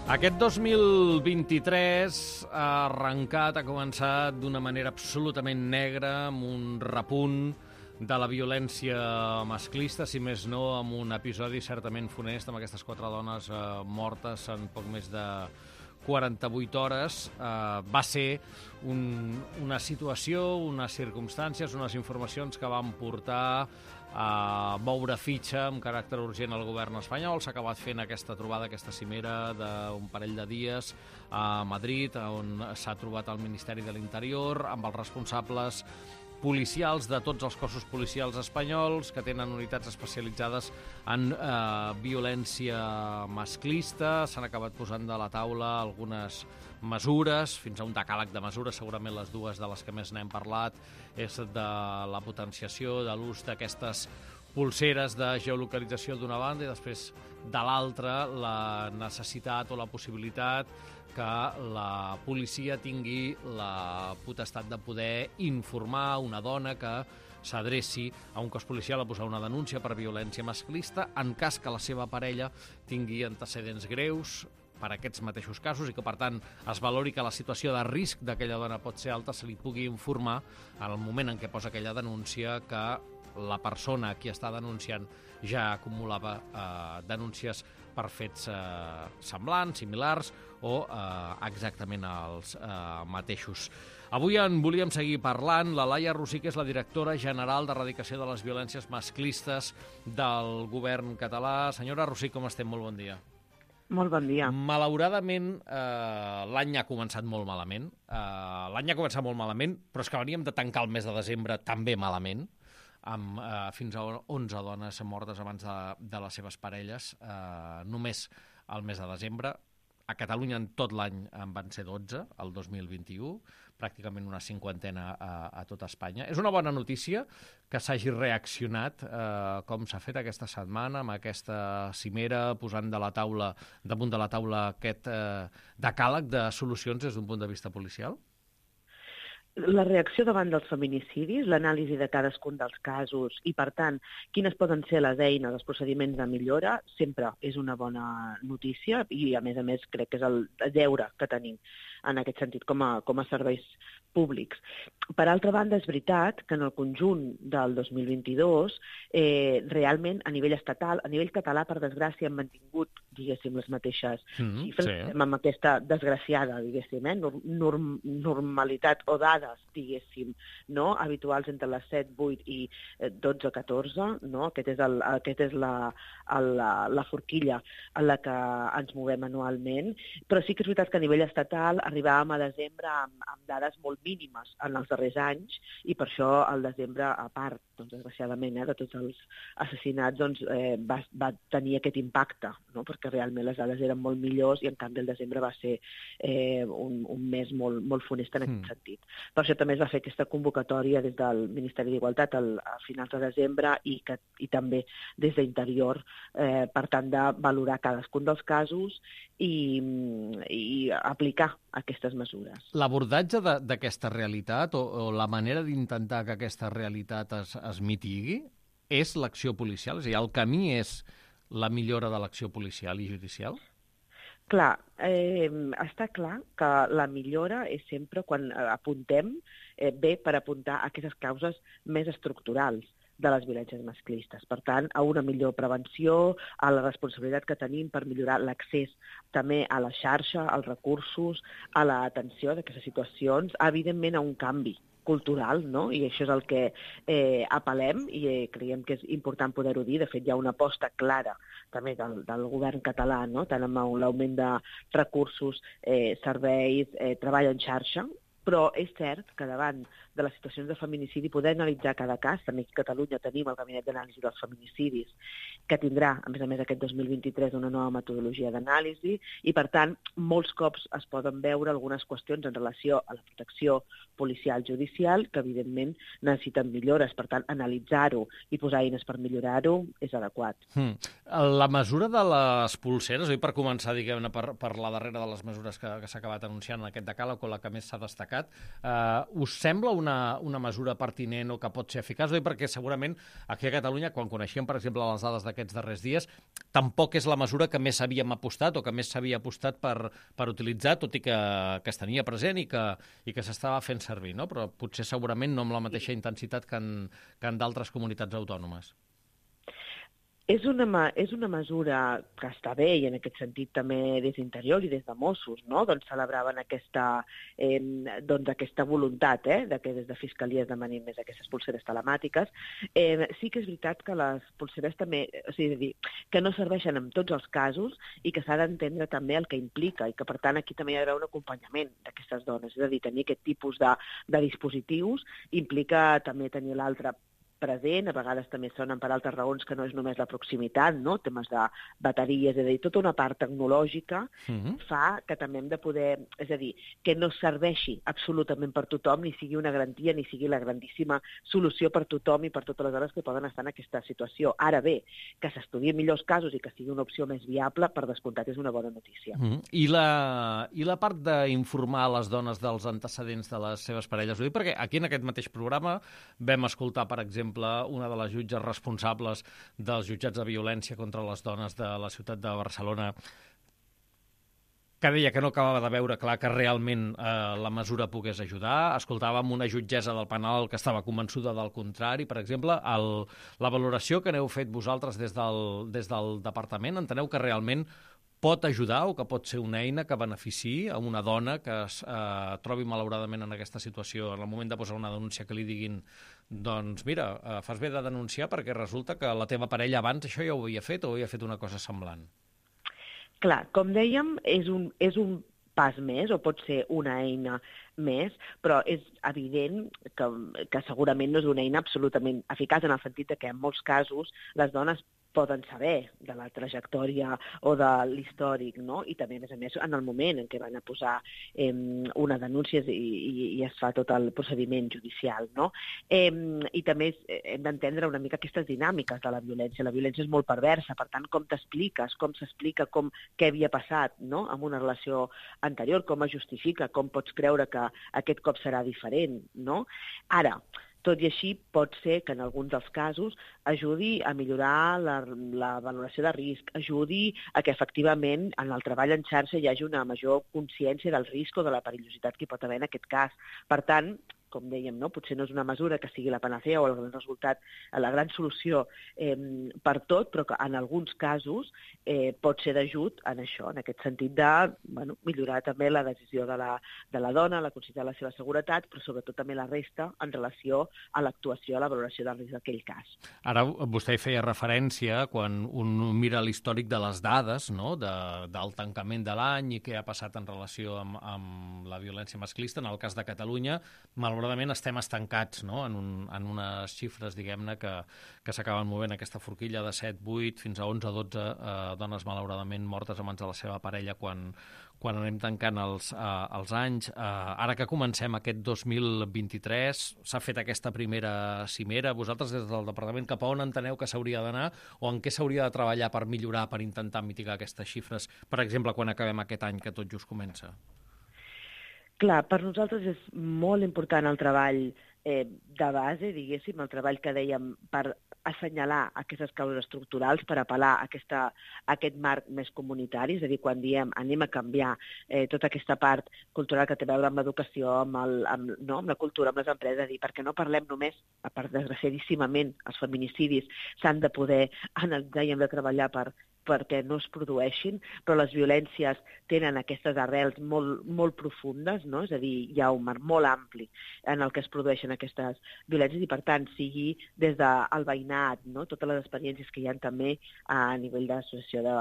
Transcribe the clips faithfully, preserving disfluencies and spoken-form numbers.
Aquest dos mil vint-i-tres ha arrencat, ha començat d'una manera absolutament negra, amb un repunt de la violència masclista, si més no, amb un episodi certament funest, amb aquestes quatre dones eh, mortes en poc més de quaranta-vuit hores. Eh, va ser un, una situació, unes circumstàncies, unes informacions que van portar a moure fitxa amb caràcter urgent al govern espanyol. S'ha acabat fent aquesta trobada, aquesta cimera d'un parell de dies a Madrid, on s'ha trobat el Ministeri de l'Interior amb els responsables policials de tots els cossos policials espanyols que tenen unitats especialitzades en eh, violència masclista. S'han acabat posant de la taula algunes mesures, fins a un decàleg de mesures. Segurament les dues de les que més n'hem parlat és de la potenciació de l'ús d'aquestes pulseres de geolocalització d'una banda i després de l'altra la necessitat o la possibilitat que la policia tingui la potestat de poder informar una dona que s'adreci a un cos policial a posar una denúncia per violència masclista en cas que la seva parella tingui antecedents greus per aquests mateixos casos i que, per tant, es valori que la situació de risc d'aquella dona pot ser alta, se li pugui informar en el moment en què posa aquella denúncia que la persona a qui està denunciant ja acumulava eh, denúncies per fets eh, semblants, similars o eh, exactament els eh, mateixos. Avui en volíem seguir parlant. La Laia Rosich, que és la directora general d'Erradicació de les Violències Masclistes del govern català. Senyora Rosich, com estem? Molt bon dia. Molt bon dia. Malauradament, eh, l'any ha començat molt malament. Eh, l'any ha començat molt malament, però és que veníem de tancar el mes de desembre també malament, amb eh, fins a onze dones mortes abans de, de les seves parelles, eh, només el mes de desembre. A Catalunya en tot l'any en van ser dotze, el dos mil vint-i-u, pràcticament una cinquantena a, a tot Espanya. És una bona notícia que s'hagi reaccionat, eh, com s'ha fet aquesta setmana, amb aquesta cimera, posant de la taula, damunt de la taula aquest eh, decàleg de solucions des d'un punt de vista policial? La reacció davant dels feminicidis, l'anàlisi de cadascun dels casos i, per tant, quines poden ser les eines, els procediments de millora, sempre és una bona notícia i, a més a més, crec que és el deure que tenim en aquest sentit com a, com a serveis públics. Per altra banda, és veritat que en el conjunt del dos mil vint-i-dos, eh, realment, a nivell estatal, a nivell català, per desgràcia, hem mantingut, diguéssim, les mateixes mm, xifres, sí. Amb aquesta desgraciada, diguéssim, eh, norm, normalitat o dades, diguéssim, no? Habituals entre les set, vuit i dotze, catorze, no? Aquest és, el, aquest és la, el, la, la forquilla en la que ens movem anualment, però sí que és veritat que a nivell estatal arribàvem a desembre amb, amb dades molt mínimes en els darrers anys i per això el desembre, a part, doncs, desgraciadament, eh, de tots els assassinats, doncs, eh, va, va tenir aquest impacte, no? Perquè realment les dades eren molt millors i en canvi el desembre va ser eh, un, un mes molt, molt funest en aquest mm. sentit. Per això també es va fer aquesta convocatòria des del Ministeri d'Igualtat al, a finals de desembre i, que, i també des d'Interior eh, per tant de valorar cadascun dels casos i, i aplicar aquestes mesures. L'abordatge d'aquesta realitat o, o la manera d'intentar que aquesta realitat es, es mitigui és l'acció policial? És a dir, el camí és la millora de l'acció policial i judicial? Clar, eh, està clar que la millora és sempre quan apuntem eh, bé per apuntar a aquestes causes més estructurals de les violències masclistes. Per tant, a una millor prevenció, a la responsabilitat que tenim per millorar l'accés també a la xarxa, als recursos, a l'atenció d'aquestes situacions, evidentment a un canvi cultural, no? I això és el que eh, apel·lem i eh, creiem que és important poder-ho dir. De fet, hi ha una aposta clara també del, del govern català, no? Tant amb l'augment de recursos, eh, serveis, eh, treball en xarxa, però és cert que davant de les situacions de feminicidi poder analitzar cada cas. També aquí a Catalunya tenim el Gabinet d'Anàlisi dels Feminicidis, que tindrà, a més a més, aquest dos mil vint-i-tres una nova metodologia d'anàlisi i, per tant, molts cops es poden veure algunes qüestions en relació a la protecció policial judicial que, evidentment, necessiten millores. Per tant, analitzar-ho i posar eines per millorar-ho és adequat. Hmm. La mesura de les pulseres, oi, per començar, diguem-ne, per, per la darrera de les mesures que, que s'ha acabat anunciant en aquest decàleg, o la que més s'ha destacat, Gencat. Uh, us sembla una, una mesura pertinent o que pot ser eficaç? Oi? Perquè segurament aquí a Catalunya, quan coneixíem, per exemple, les dades d'aquests darrers dies, tampoc és la mesura que més havíem apostat o que més s'havia apostat per, per utilitzar, tot i que, que es tenia present i que, i que s'estava fent servir, no? Però potser segurament no amb la mateixa intensitat que en, que en d'altres comunitats autònomes. És una, és una mesura que està bé i en aquest sentit també des d'Interior i des de Mossos, no? Doncs celebraven aquesta, eh, doncs aquesta voluntat eh, de que des de Fiscalia es demanin més aquestes pulseres telemàtiques. Eh, sí que és veritat que les pulseres també, o sigui, dir, que no serveixen en tots els casos i que s'ha d'entendre també el que implica i que per tant aquí també hi ha d'haver un acompanyament d'aquestes dones. És a dir, tenir aquest tipus de, de dispositius implica també tenir l'altre present, a vegades també sonen per altres raons que no és només la proximitat, no? Temes de bateries, és a dir, tota una part tecnològica uh-huh. fa que també hem de poder, és a dir, que no serveixi absolutament per tothom, ni sigui una garantia, ni sigui la grandíssima solució per tothom i per totes les dones que poden estar en aquesta situació. Ara bé, que s'estudiïn millors casos i que sigui una opció més viable, per descomptat és una bona notícia. Uh-huh. I, la, I la part d'informar les dones dels antecedents de les seves parelles? Ho dic perquè aquí en aquest mateix programa vam escoltar, per exemple, una de les jutges responsables dels jutjats de violència contra les dones de la ciutat de Barcelona, que deia que no acabava de veure clar que realment eh, la mesura pogués ajudar. Escoltàvem una jutgessa del penal que estava convençuda del contrari. Per exemple, el, la valoració que n'heu fet vosaltres des del, des del departament, enteneu que realment pot ajudar o que pot ser una eina que beneficiï a una dona que es eh, trobi malauradament en aquesta situació, en el moment de posar una denúncia que li diguin doncs mira, eh, fas bé de denunciar perquè resulta que la teva parella abans això ja ho havia fet o havia fet una cosa semblant. Clar, com dèiem, és un, és un pas més o pot ser una eina més, però és evident que, que segurament no és una eina absolutament eficaç en el sentit que en molts casos les dones poden saber de la trajectòria o de l'històric, no? I també, a més a més, en el moment en què van a posar eh, una denúncia i, i, i es fa tot el procediment judicial, no? Eh, I també hem d'entendre una mica aquestes dinàmiques de la violència. La violència és molt perversa, per tant, com t'expliques, com s'explica, com què havia passat, no?, en una relació anterior, com es justifica, com pots creure que aquest cop serà diferent, no? Ara, tot i així, pot ser que en alguns dels casos ajudi a millorar la, la valoració de risc, ajudi a que efectivament en el treball en xarxa hi hagi una major consciència del risc o de la perillositat que hi pot haver en aquest cas. Per tant, com dèiem, no? Potser no és una mesura que sigui la panacea o el gran resultat, la gran solució eh, per tot, però que en alguns casos eh, pot ser d'ajut en això, en aquest sentit de bueno, millorar també la decisió de la, de la dona, la consciència de la seva seguretat, però sobretot també la resta en relació a l'actuació, a la valoració del risc d'aquell cas. Ara vostè feia referència, quan un mira l'històric de les dades, no? de, del tancament de l'any i què ha passat en relació amb, amb la violència masclista, en el cas de Catalunya, malauradament estem estancats, no? en, un, en unes xifres, diguem-ne, que, que s'acaben movent aquesta forquilla de set, vuit, fins a onze, dotze eh, dones malauradament mortes a mans de la seva parella quan, quan anem tancant els, eh, els anys. Eh, ara que comencem aquest dos mil vint-i-tres, s'ha fet aquesta primera cimera. Vosaltres, des del departament, cap a on enteneu que s'hauria d'anar o en què s'hauria de treballar per millorar, per intentar mitigar aquestes xifres, per exemple, quan acabem aquest any que tot just comença? Clar, per nosaltres és molt important el treball eh, de base, diguéssim, el treball que dèiem per assenyalar aquestes causes estructurals, per apel·lar a, aquesta, a aquest marc més comunitari, és a dir, quan diem anem a canviar eh, tota aquesta part cultural que té a veure amb l'educació, amb, el, amb, no, amb la cultura, amb les empreses, i perquè no parlem només, a part, desgraciadíssimament, els feminicidis s'han de poder analitzar i hem de treballar per perquè no es produeixin, però les violències tenen aquestes arrels molt, molt profundes, no? És a dir, hi ha un marc molt ampli en el que es produeixen aquestes violències i, per tant, sigui des del veïnat, no? Totes les experiències que hi ha també a nivell d'associació de,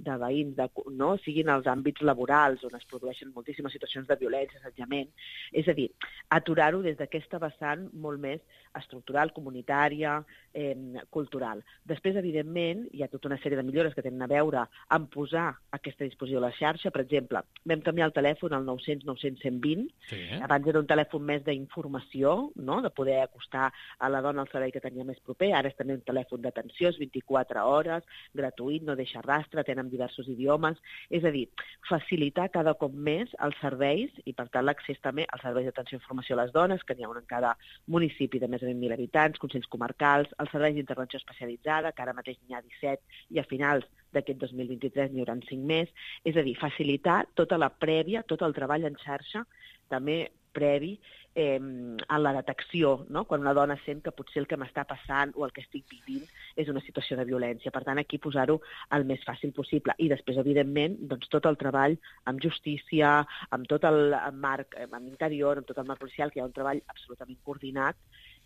de veïns, de, no? Siguin els àmbits laborals on es produeixen moltíssimes situacions de violència, assetjament. És a dir, aturar-ho des d'aquesta vessant molt més estructural, comunitària, eh, cultural. Després, evidentment, hi ha tota una sèrie de millores que pretenen a veure en posar aquesta disposició a la xarxa. Per exemple, vam canviar el telèfon al nou cents nou cents cent vint. Sí. Abans era un telèfon més d'informació, no?, de poder acostar a la dona al servei que tenia més proper. Ara és també un telèfon d'atenció, és vint-i-quatre hores, gratuït, no deixa rastre, tenen diversos idiomes. És a dir, facilitar cada cop més els serveis i, per tant, l'accés també als serveis d'atenció i informació a les dones, que n'hi ha un en cada municipi de més de vint mil habitants, consells comarcals, els serveis d'intervenció especialitzada, que ara mateix n'hi ha disset, i a finals d'aquest dos mil vint-i-tres n'hi haurà cinc més. És a dir, facilitar tota la prèvia, tot el treball en xarxa, també previ eh, a la detecció, no?, quan una dona sent que potser el que m'està passant o el que estic vivint és una situació de violència. Per tant, aquí posar-ho el més fàcil possible. I després, evidentment, doncs, tot el treball amb justícia, amb tot el marc amb interior, amb tot el marc policial, que hi ha un treball absolutament coordinat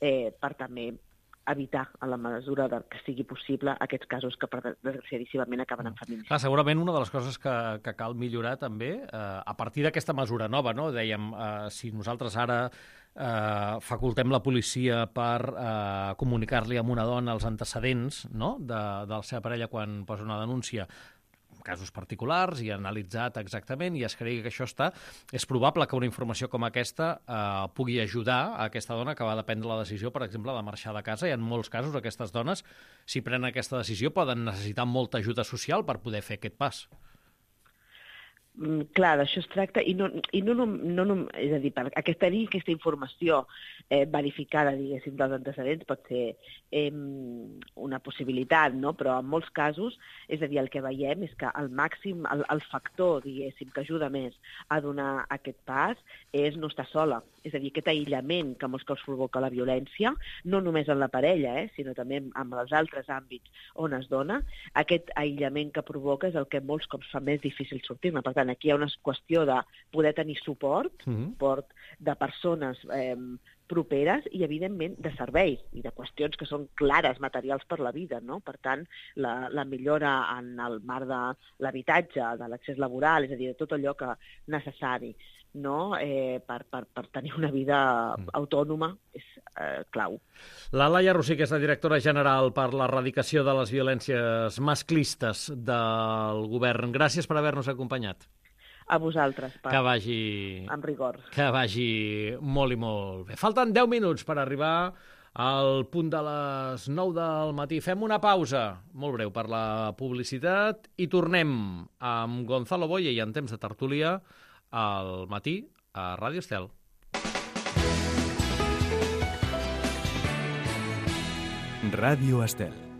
eh, per també evitar, a la mesura que sigui possible, aquests casos que, desgraciadíssimament, acaben en feminicidi. Clar, segurament una de les coses que, que cal millorar també, eh, a partir d'aquesta mesura nova, no? Dèiem, eh, si nosaltres ara eh, facultem la policia per eh, comunicar-li a una dona els antecedents, no?, de, de la seva parella quan posa una denúncia, casos particulars i analitzat exactament i es cregui que això està, és probable que una informació com aquesta eh, pugui ajudar a aquesta dona que va de prendre la decisió, per exemple, de marxar de casa. I en molts casos aquestes dones, si prenen aquesta decisió, poden necessitar molta ajuda social per poder fer aquest pas. Mm, clar, d'això es tracta, i no, i no, no, no, no és a dir, per aquesta, tenir aquesta informació eh, verificada, diguéssim, dels antecedents pot ser eh, una possibilitat, no? Però en molts casos, és a dir, el que veiem és que el màxim, el, el factor, diguéssim, que ajuda més a donar aquest pas és no estar sola. És a dir, aquest aïllament que molts cops provoca la violència, no només en la parella, eh, sinó també en els altres àmbits on es dona, aquest aïllament que provoca és el que molts cops fa més difícil sortir-ne. Per tant, aquí hi ha una qüestió de poder tenir suport, mm-hmm. suport de persones eh, properes i, evidentment, de serveis i de qüestions que són clares, materials per la vida, no? Per tant, la, la millora en el marc de l'habitatge, de l'accés laboral, és a dir, de tot allò que necessari, no? eh, per, per, per tenir una vida autònoma és eh, clau. La Laia Rosich és la directora general per l'erradicació de les violències masclistes del govern. Gràcies per haver-nos acompanyat. A vosaltres, per... Que vagi... amb rigor. Que vagi molt i molt bé. Falten deu minuts per arribar al punt de les nou del matí. Fem una pausa molt breu per la publicitat i tornem amb Gonzalo Boye i en temps de tertúlia al matí a Ràdio Estel. Ràdio Estel.